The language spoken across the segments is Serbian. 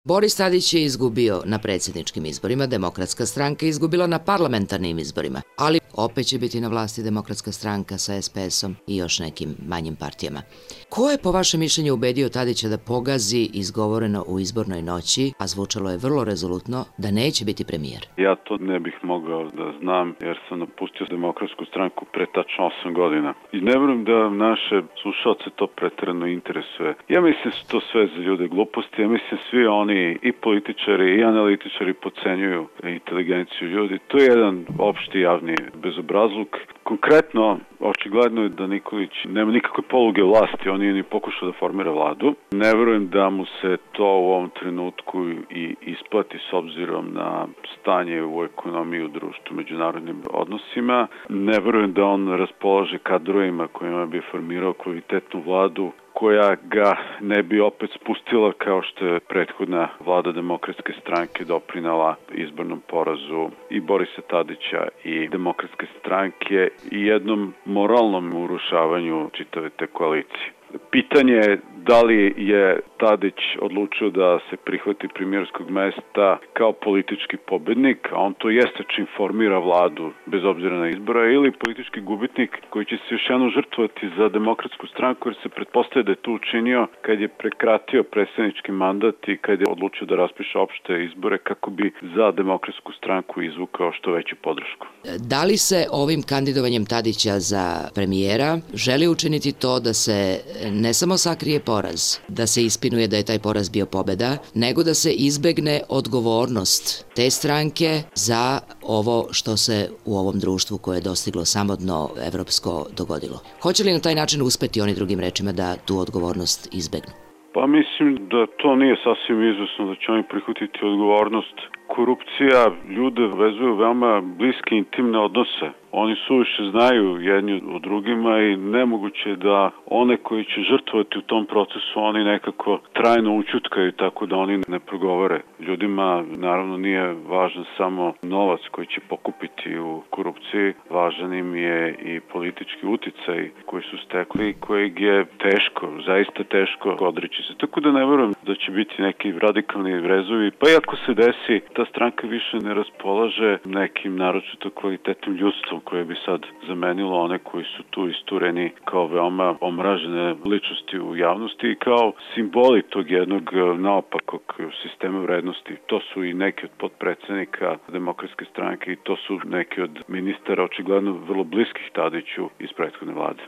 Boris Tadić je izgubio na predsjedničkim izborima, Demokratska stranka je izgubila na parlamentarnim izborima, ali opet će biti na vlasti Demokratska stranka sa SPS-om i još nekim manjim partijama. Ko je po vašem mišljenju ubedio Tadića da pogazi izgovoreno u izbornoj noći, a zvučalo je vrlo rezolutno, da neće biti premijer? Ja to ne bih mogao da znam jer sam napustio Demokratsku stranku pre tačno 8 godina. I ne verujem da naše slušalce to preterano interesuje. Ja mislim da su to sve za ljude gluposti, ja mislim svi oni i političari i analitičari podcenjuju inteligenciju ljudi. To je jedan opšti javni bezobrazluk. Konkretno, očigledno je da Nikolić nema nikakve poluge vlasti, on nije ni pokušao da formira vladu. Ne verujem da mu se to u ovom trenutku i isplati s obzirom na stanje u ekonomiji, u društvu, međunarodnim odnosima. Ne verujem da on raspolaže kadrovima kojima bi formirao kvalitetnu vladu koja ga ne bi opet spustila kao što je prethodna vlada Demokratske stranke doprinala izbornom porazu i Borisa Tadića i Demokratske stranke i jednom moralnom urušavanju čitave te koalicije. Pitanje je da li je Tadić odlučio da se prihvati premijerskog mesta kao politički pobednik, a on to jeste čim formira vladu bez obzira na izbora, ili politički gubitnik koji će se još jednom žrtvovati za Demokratsku stranku jer se pretpostavlja da je to učinio kad je prekratio predsjednički mandat i kad je odlučio da raspiše opšte izbore kako bi za Demokratsku stranku izvukao što veću podršku. Da li se ovim kandidovanjem Tadića za premijera želi učiniti to da se ne samo sakrije poraz, da se ispinuje da je taj poraz bio pobeda, nego da se izbegne odgovornost te stranke za ovo što se u ovom društvu koje je dostiglo samodno evropsko dogodilo? Hoće li na taj način uspeti, oni drugim rečima, da tu odgovornost izbegnu? Pa mislim da to nije sasvim izvesno da će oni prihvatiti odgovornost. Korupcija ljude vezuje veoma bliske intimne odnose. Oni suviše znaju jedni o drugima i nemoguće da one koji će žrtvovati u tom procesu oni nekako trajno učutkaju tako da oni ne progovore. Ljudima naravno nije važan samo novac koji će pokupiti u korupciji, važan im je i politički uticaj koji su stekli i kojeg je teško, zaista teško odreći se. Tako da ne verujem da će biti neki radikalni rezovi, pa i ako se desi, ta stranka više ne raspolaže nekim naročito kvalitetnim ljudstvom koje bi sad zamenilo one koji su tu istureni kao veoma omražene ličnosti u javnosti i kao simboli tog jednog naopakog sistema vrednosti. To su i neki od potpredsednika Demokratske stranke i to su neki od ministara očigledno vrlo bliskih Tadiću iz prethodne vlade.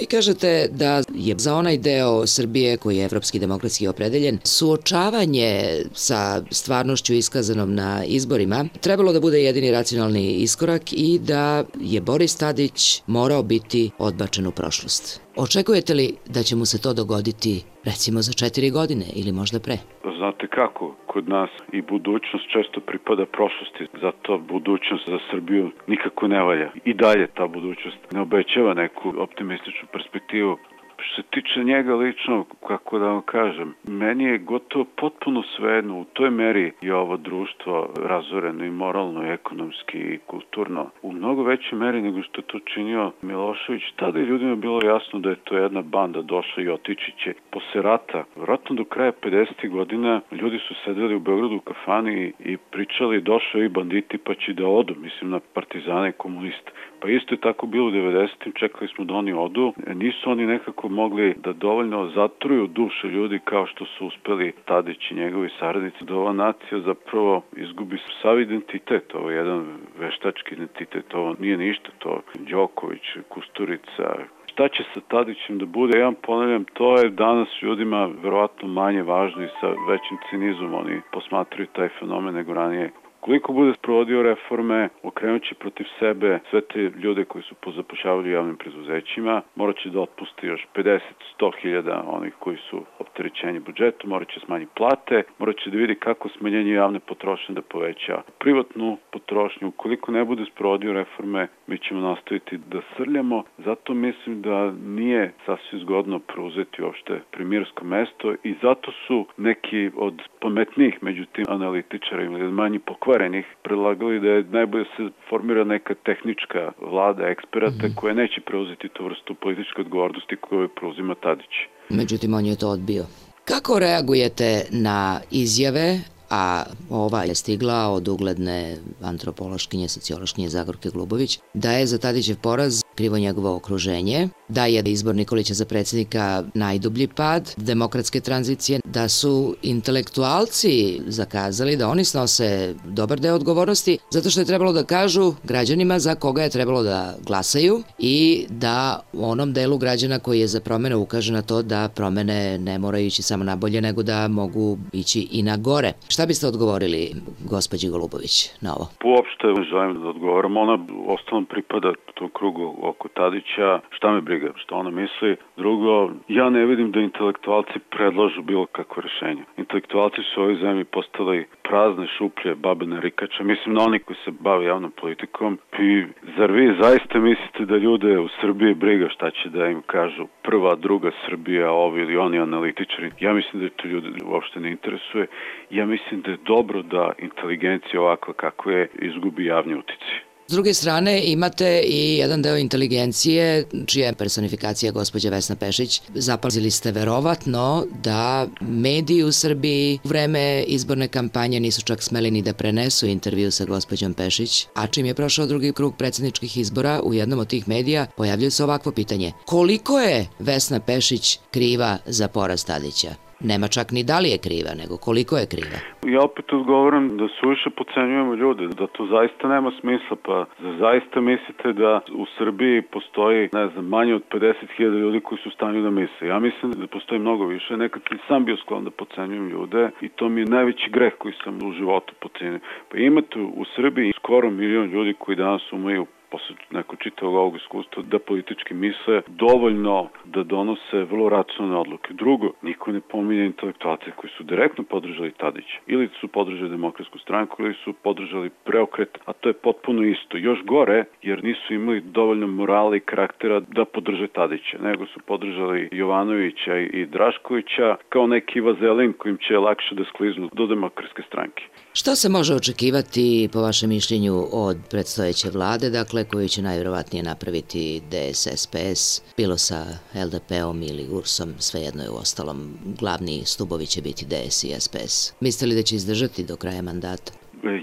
Vi kažete da je za onaj deo Srbije koji je evropski demokratski opredeljen suočavanje sa stvarnošću iskazanom na izborima trebalo da bude jedini racionalni iskorak i da je Boris Tadić morao biti odbačen u prošlost. Očekujete li da će mu se to dogoditi recimo za 4 godine ili možda pre? Znate kako, kod nas i budućnost često pripada prošlosti, zato budućnost za Srbiju nikako ne valja. I dalje ta budućnost ne obećava neku optimističnu perspektivu. Što se tiče njega lično, kako da vam kažem, meni je gotovo potpuno svejedno, u toj meri je ovo društvo razoreno i moralno, i ekonomski, i kulturno. U mnogo većoj meri nego što je to činio Milošević. Tada je ljudima bilo jasno da je to jedna banda došla i otići će. Posle rata, vjerojatno do kraja 50. godina, ljudi su sedeli u Beogradu u kafani i pričali došao i banditi pa će da odu, mislim na partizane i komuniste. Pa isto je tako bilo u 90. čekali smo da oni odu. Nisu oni nekako mogli da dovoljno zatruju duše ljudi kao što su uspeli Tadić i njegovi saradnici, da ova nacija zapravo izgubi sav identitet. Ovo je jedan veštački identitet, ovo nije ništa, to Đoković, Kusturica. Šta će sa Tadićem da bude? Ja vam ponavljam, to je danas ljudima verovatno manje važno i sa većim cinizmom oni posmatraju taj fenomen nego ranije. Koliko bude sprovodio reforme, okrenut će protiv sebe sve te ljude koji su pozapošljavali u javnim preduzećima, morat će da otpusti još 50-100 hiljada onih koji su opterećenje budžetu, morat će smanjiti plate, morat će da vidi kako smanjenje javne potrošnje da poveća privatnu potrošnju. Ukoliko ne bude sprovodio reforme, mi ćemo nastaviti da srljamo, zato mislim da nije sasvim zgodno preuzeti uopšte premijersko mesto i zato su neki od pametnijih među tim analitičarima ili manji pokvarenih predlagali da je najbolje se formira neka tehnička vlada eksperata koja neće preuzeti tu vrstu političke odgovornosti koju preuzima Tadić. Međutim, on je to odbio. Kako reagujete na izjave, a ova je stigla od ugledne antropološkinje, sociološkinje Zagorke Glubović, da je za Tadićev poraz krivo njegovo okruženje, da je izbor Nikolića za predsjednika najdublji pad demokratske tranzicije, da su intelektualci zakazali da oni snose dobar deo odgovornosti zato što je trebalo da kažu građanima za koga je trebalo da glasaju i da onom delu građana koji je za promene ukaže na to da promene ne moraju ići samo na bolje, nego da mogu ići i na gore. Šta biste odgovorili gospođi Golubović na ovo? Uopšte želim da odgovoram. Ona ostalom pripada tom krugu oko Tadića. Šta me briga, šta ona misli. Drugo, ja ne vidim da intelektualci predlažu bilo kakvo rešenje. Intelektualci su u ovoj zemlji postali prazne šuplje, babe narikače. Mislim na oni koji se bave javnom politikom. I zar vi zaista mislite da ljude u Srbiji briga šta će da im kažu prva, druga Srbija, ovi ili oni analitičari? Ja mislim da to ljude uopšte ne interesuje. Ja mislim da je dobro da inteligencija ovakva kako je izgubi javni uticaj. S druge strane, imate i jedan deo inteligencije, čija je personifikacija gospođa Vesna Pešić. Zapazili ste verovatno da mediji u Srbiji u vreme izborne kampanje nisu čak smeli ni da prenesu intervju sa gospođom Pešić, a čim je prošao drugi krug predsjedničkih izbora, u jednom od tih medija pojavljuje se ovakvo pitanje. Koliko je Vesna Pešić kriva za poraz Tadića? Nema čak ni da li je kriva, nego koliko je kriva. Ja opet odgovoram da suviše podcenjujemo ljude, da to zaista nema smisla, pa zaista mislite da u Srbiji postoji, manje od 50.000 ljudi koji su u stanju da misle. Ja mislim da postoji mnogo više, nekad sam bio sklon da podcenjujem ljude i to mi je najveći greh koji sam u životu podcenio. Pa imate u Srbiji skoro 1 milion ljudi koji danas umeju posle nekog čitavog ovog iskustva da politički misle dovoljno da donose vrlo racionalne odluke. Drugo, niko ne pominje intelektualce koji su direktno podržali Tadića. Ili su podržali Demokratsku stranku, ili su podržali preokret, a to je potpuno isto. Još gore, jer nisu imali dovoljno morala i karaktera da podrže Tadića, nego su podržali Jovanovića i Draškovića kao neki vazelin kojim će lakše da skliznu do Demokratske stranke. Što se može očekivati, po vašem mišljenju, od predstojeće vlade, dakle, koju će najvjerovatnije napraviti DSS-PS, bilo sa LDP-om ili URS-om, svejedno je u ostalom, glavni stubovi će biti DS i SPS. Mislite li da će izdržati do kraja mandata?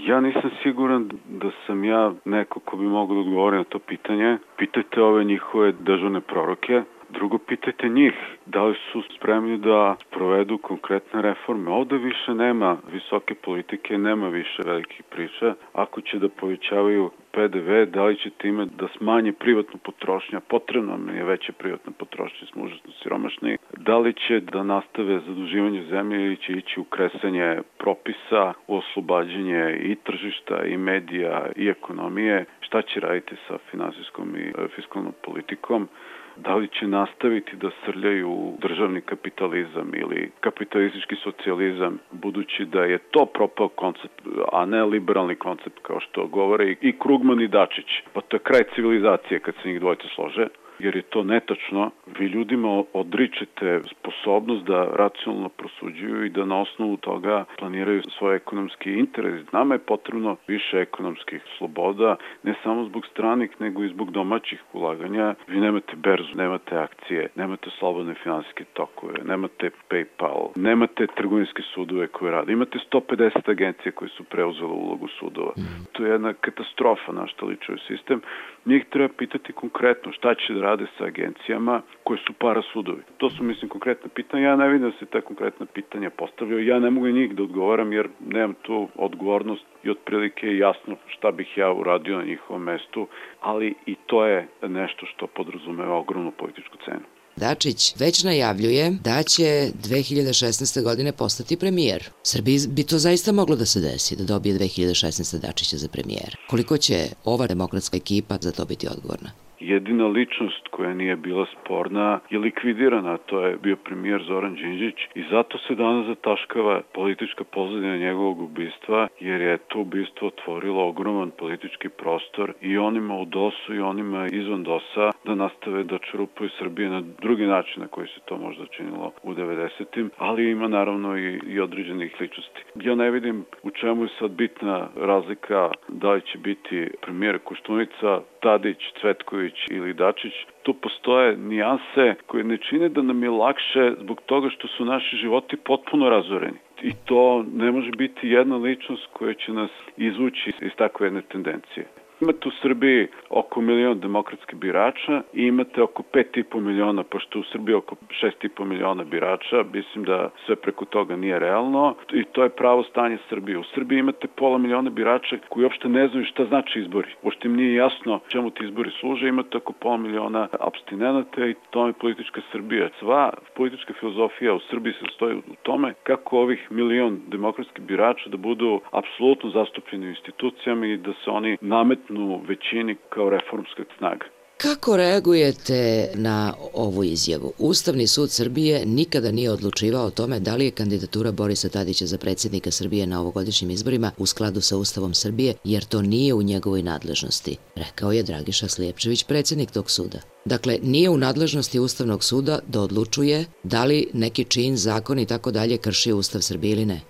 Ja nisam siguran da sam ja neko ko bi mogao da odgovori na to pitanje. Pitajte ove njihove dežurne proroke. Drugo, pitajte njih da li su spremni da provedu konkretne reforme. Ovde više nema visoke politike, nema više velikih priča. Ako će da povećavaju PDV, da li će time da smanje privatnu potrošnju, potrebno mi je veća privatna potrošnja, smo užasno siromašni, da li će da nastave zaduživanje zemlje ili će ići u kresanje propisa, u oslobađanje i tržišta, i medija, i ekonomije, šta će raditi sa finansijskom i fiskalnom politikom, da li će nastaviti da srljaju državni kapitalizam ili kapitalistički socijalizam, budući da je to propao koncept, a ne liberalni koncept kao što govore i Krugman i Dačić. Pa to je kraj civilizacije kad se njih dvojice slože, jer je to netačno. Vi ljudima odričete sposobnost da racionalno prosuđuju i da na osnovu toga planiraju svoje ekonomski interes. Nama je potrebno više ekonomskih sloboda, ne samo zbog stranih, nego i zbog domaćih ulaganja. Vi nemate berzu, nemate akcije, nemate slobodne finansijske tokove, nemate PayPal, nemate trgovinske sudove koje rade. Imate 150 agencije koje su preuzele ulogu sudova. To je jedna katastrofa na što liči sistem. Njih treba pitati konkretno šta će da rade sa agencijama koje su parasudovi. To su, mislim, konkretna pitanja. Ja ne vidim da se ta konkretna pitanja postavljaju. Ja ne mogu njih da odgovaram jer nemam tu odgovornost i otprilike je jasno šta bih ja uradio na njihovom mestu, ali i to je nešto što podrazumeva ogromnu političku cenu. Dačić već najavljuje da će 2016. godine postati premijer. Srbiji bi to zaista moglo da se desi, da dobije 2016. Dačića za premijera. Koliko će ova demokratska ekipa za to biti odgovorna? Jedina ličnost koja nije bila sporna je likvidirana, to je bio premijer Zoran Đinđić i zato se danas zataškava politička pozadina njegovog ubistva, jer je to ubistvo otvorilo ogroman politički prostor i onima u DOS-u i onima izvan DOS-a da nastave da čerupaju Srbije na drugi način na koji se to možda činilo u 90-im, ali ima naravno i određenih ličnosti. Ja ne vidim u čemu je sad bitna razlika da li će biti premijer Koštunica, Tadić, Cvetković Milošević ili Dačić, tu postoje nijanse koje ne čine da nam je lakše zbog toga što su naši životi potpuno razoreni. I to ne može biti jedna ličnost koja će nas izvući iz takve jedne tendencije. Imate u Srbiji oko 1 milion demokratskih birača i imate oko 5,5 miliona, pošto u Srbiji oko 6,5 miliona birača, mislim da sve preko toga nije realno i to je pravo stanje Srbije. U Srbiji imate pola miliona birača koji uopšte ne znaju šta znači izbori. Uopšte im nije jasno čemu ti izbori služe, imate oko pola miliona apstinenata i to je politička Srbija. Sva politička filozofija u Srbiji se stoji u tome kako ovih 1 milion demokratskih birača da budu apsolutno zastupljeni u institucijama i da se oni nametnu većini kao reformska snaga. Kako reagujete na ovu izjavu? Ustavni sud Srbije nikada nije odlučivao o tome da li je kandidatura Borisa Tadića za predsjednika Srbije na ovogodišnjim izborima u skladu sa Ustavom Srbije, jer to nije u njegovoj nadležnosti, rekao je Dragiša Slijepčević, predsjednik tog suda. Dakle, nije u nadležnosti Ustavnog suda da odlučuje da li neki čin, zakon i tako dalje krši Ustav Srbije ili ne.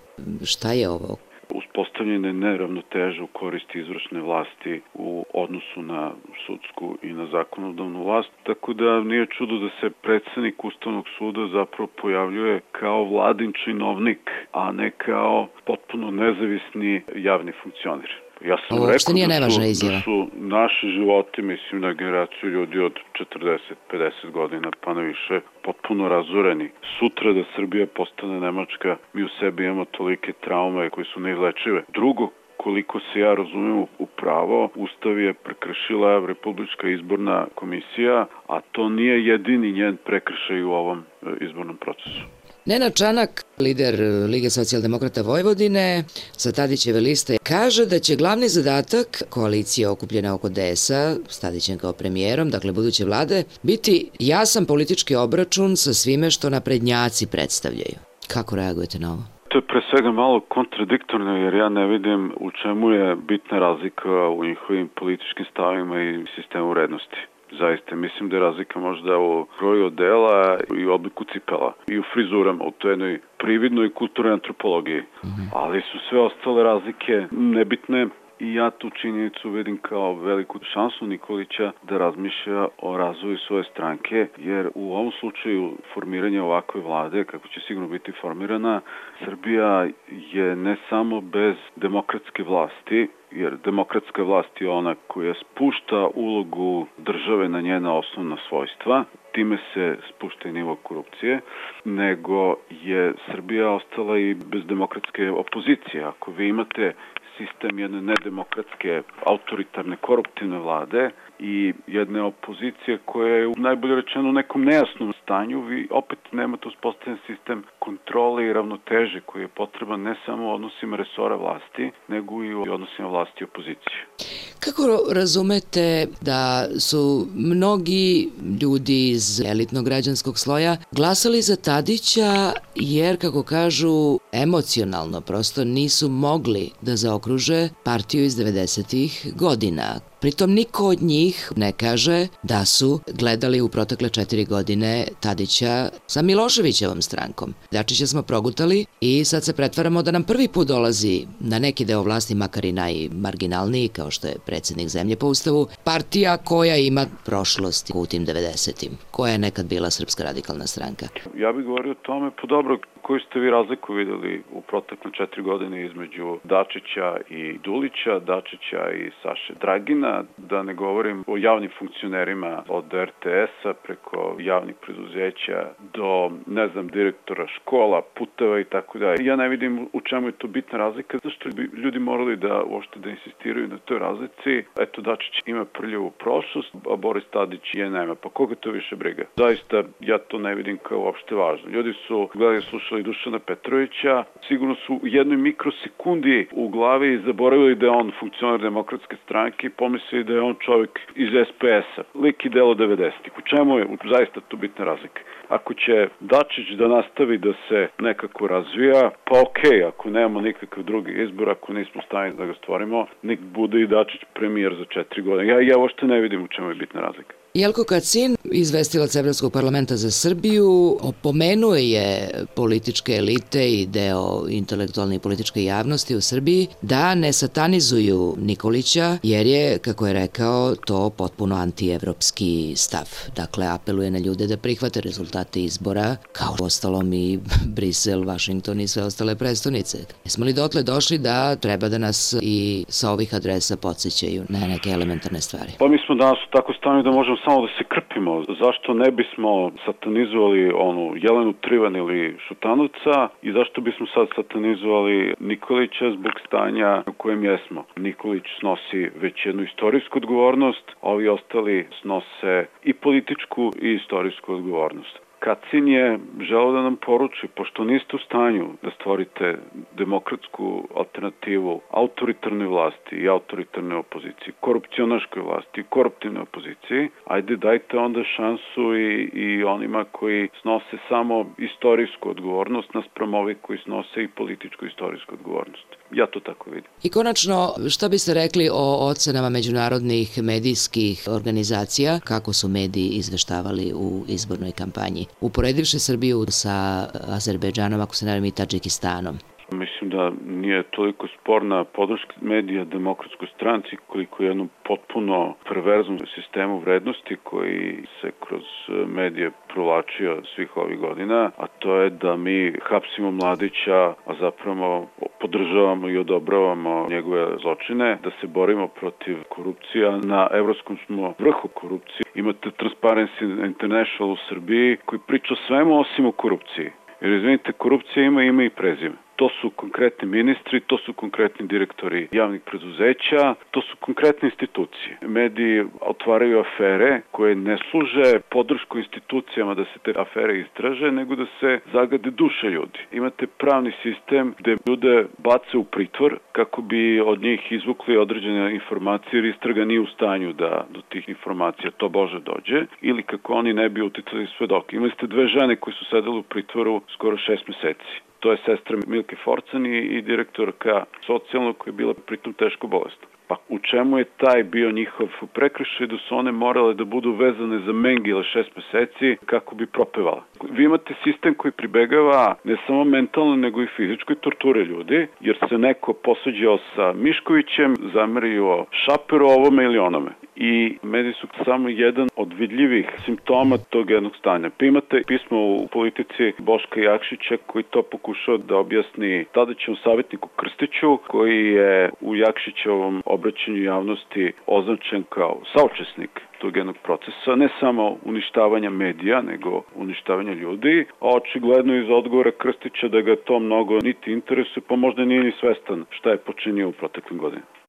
Šta je ovo? Uspostavljene neravnoteže u koristi izvršne vlasti u odnosu na sudsku i na zakonodavnu vlast, tako da nije čudo da se predsjednik Ustavnog suda zapravo pojavljuje kao vladin činovnik, a ne kao potpuno nezavisni javni funkcioner. Ja sam rekao da su naši životi, mislim na generaciju ljudi od 40-50 godina pa na više, potpuno razoreni. Sutra da Srbija postane Nemačka, mi u sebi imamo tolike traume koje su neizlečive. Drugo, koliko se ja razumem u pravo, Ustav je prekršila Republička izborna komisija, a to nije jedini njen prekršaj u ovom izbornom procesu. Nenad Čanak, lider Lige socijaldemokrata Vojvodine, sa Tadićeve liste, kaže da će glavni zadatak koalicije okupljena oko DS-a, s Tadićem kao premijerom, dakle buduće vlade, biti jasan politički obračun sa svime što naprednjaci predstavljaju. Kako reagujete na ovo? To je pre svega malo kontradiktorno jer ja ne vidim u čemu je bitna razlika u njihovim političkim stavima i sistemu vrednosti. Zaista, mislim da je razlika možda u kroju odela i u obliku cipela i u frizurama, u toj jednoj prividnoj kulturnoj antropologiji. Ali su sve ostale razlike nebitne i ja tu činjenicu vidim kao veliku šansu Nikolića da razmišlja o razvoju svoje stranke, jer u ovom slučaju formiranja ovakve vlade, kako će sigurno biti formirana, Srbija je ne samo bez demokratske vlasti, jer demokratska vlast je ona koja spušta ulogu države na njena osnovna svojstva, time se spušta i nivo korupcije, nego je Srbija ostala i bez demokratske opozicije. Ako vi imate sistem jedne nedemokratske, autoritarne, koruptivne vlade i jedne opozicije koja je najbolje rečeno u nekom nejasnom stanju, vi opet nemate uspostavljen sistem kontrole i ravnoteže koji je potreban ne samo u odnosima resora vlasti, nego i u odnosima vlasti i opozicije. Kako razumete da su mnogi ljudi iz elitnog građanskog sloja glasali za Tadića jer, kako kažu, emocionalno prosto nisu mogli da zaokruže partiju iz 90-ih godina? Pritom niko od njih ne kaže da su gledali u protekle 4 godine Tadića sa Miloševićevom strankom. Dačića smo progutali i sad se pretvaramo da nam prvi put dolazi na neki deo vlasti, makar i najmarginalniji, kao što je predsjednik zemlje po ustavu, partija koja ima prošlost u tim 90-im, koja je nekad bila Srpska radikalna stranka. Ja bih govorio o tome, pa dobro, koju ste vi razliku videli u protekle 4 godine između Dačića i Dulića, Dačića i Saše Dragina, da ne govorim o javnim funkcionerima od RTS-a preko javnih preduzeća do, direktora škola, puteva i tako dalje. Ja ne vidim u čemu je to bitna razlika, zašto bi ljudi morali da uopšte da insistiraju na toj razlici. Eto, Dačić ima prljavu prošlost, a Boris Tadić je nema, pa koga to više briga? Zaista, ja to ne vidim kao uopšte važno. Ljudi su gledali, slušali Dušana Petrovića, sigurno su u jednoj mikrosekundi u glavi zaboravili da je on funkcioner demokratske stranke i pomislili da je on čovjek iz SPS-a, lik i delo 90-ih. U čemu je zaista tu bitna razlika? Ako će Dačić da nastavi da se nekako razvija, pa okej, ako nemamo nikakav drugi izbor, ako nismo stavljeni da ga stvorimo, nek bude i Dačić premijer za 4 godine. Ja uopšte ne vidim u čemu je bitna razlika. Jelko Kacin, izvestilac Evropskog parlamenta za Srbiju, opomenuo je političke elite i deo intelektualne i političke javnosti u Srbiji da ne satanizuju Nikolića, jer je, kako je rekao, to potpuno antievropski stav. Dakle, apeluje na ljude da prihvate rezultate izbora, kao ostalom i Brisel, Vašington i sve ostale prestonice. Jesmo li dotle došli da treba da nas i sa ovih adresa podsjećaju na neke elementarne stvari? Pa mi smo danas u tako stanju da možemo samo da se krpimo. Zašto ne bismo satanizovali onu Jelenu Trivan ili Šutanovca i zašto bismo sad satanizovali Nikolića zbog stanja u kojem jesmo? Nikolić snosi već jednu istorijsku odgovornost, a ovi ostali snose i političku i istorijsku odgovornost. Kacin je želeo da nam poruči, pošto niste u stanju da stvorite demokratsku alternativu autoritarnoj vlasti i autoritarnoj opoziciji, korupcionaškoj vlasti i koruptivnoj opoziciji, ajde dajte onda šansu i onima koji snose samo istorijsku odgovornost naspram ovih koji snose i političku istorijsku odgovornost. Ja to tako vidim. I konačno, šta biste rekli o ocenama međunarodnih medijskih organizacija, kako su mediji izveštavali u izbornoj kampanji, uporedivši Srbiju sa Azerbejdžanom, ako se ne varam, i Tadžikistanom? Mislim da nije toliko sporna podrška medija demokratskoj stranci koliko jednom potpuno perverznom sistemu vrednosti koji se kroz medije provlačio svih ovih godina, a to je da mi hapsimo Mladića, a zapravo podržavamo i odobravamo njegove zločine, da se borimo protiv korupcija. Na evropskom smo vrhu korupcije. Imate Transparency International u Srbiji koji priča o svemu osim o korupciji. Jer izvinite, korupcija ima ime i prezime. To su konkretni ministri, to su konkretni direktori javnih preduzeća, to su konkretne institucije. Mediji otvaraju afere koje ne služe podršku institucijama da se te afere istraže, nego da se zagade duše ljudi. Imate pravni sistem gde ljude bace u pritvor kako bi od njih izvukli određene informacije jer istraga nije u stanju da do tih informacija to Bože dođe ili kako oni ne bi uticali svedoke. Imali ste dve žene koje su sedele u pritvoru skoro 6 meseci. To je sestra Milke Forcan i direktorka socijalnog koja je bila pritom teško bolesna. Pa u čemu je taj bio njihov prekršaj da su one morale da budu vezane za mengile 6 meseci kako bi propevala? Vi imate sistem koji pribegava ne samo mentalno nego i fizičkoj torture ljudi, jer se neko posuđao sa Miškovićem, zamerio Šaperu ovome ili onome. I mediji su samo jedan od vidljivih simptoma tog jednog stanja. Pa imate pismo u Politici Boška Jakšića koji to pokušao da objasni tadašnjem savjetniku Krstiću, koji je u Jakšićevom obraćanju javnosti označen kao saučesnik tog jednog procesa, ne samo uništavanja medija, nego uništavanja ljudi, a očigledno iz odgovora Krstića da ga to mnogo niti interesuje, pa možda nije ni svestan šta je počinio u proteklim godinama.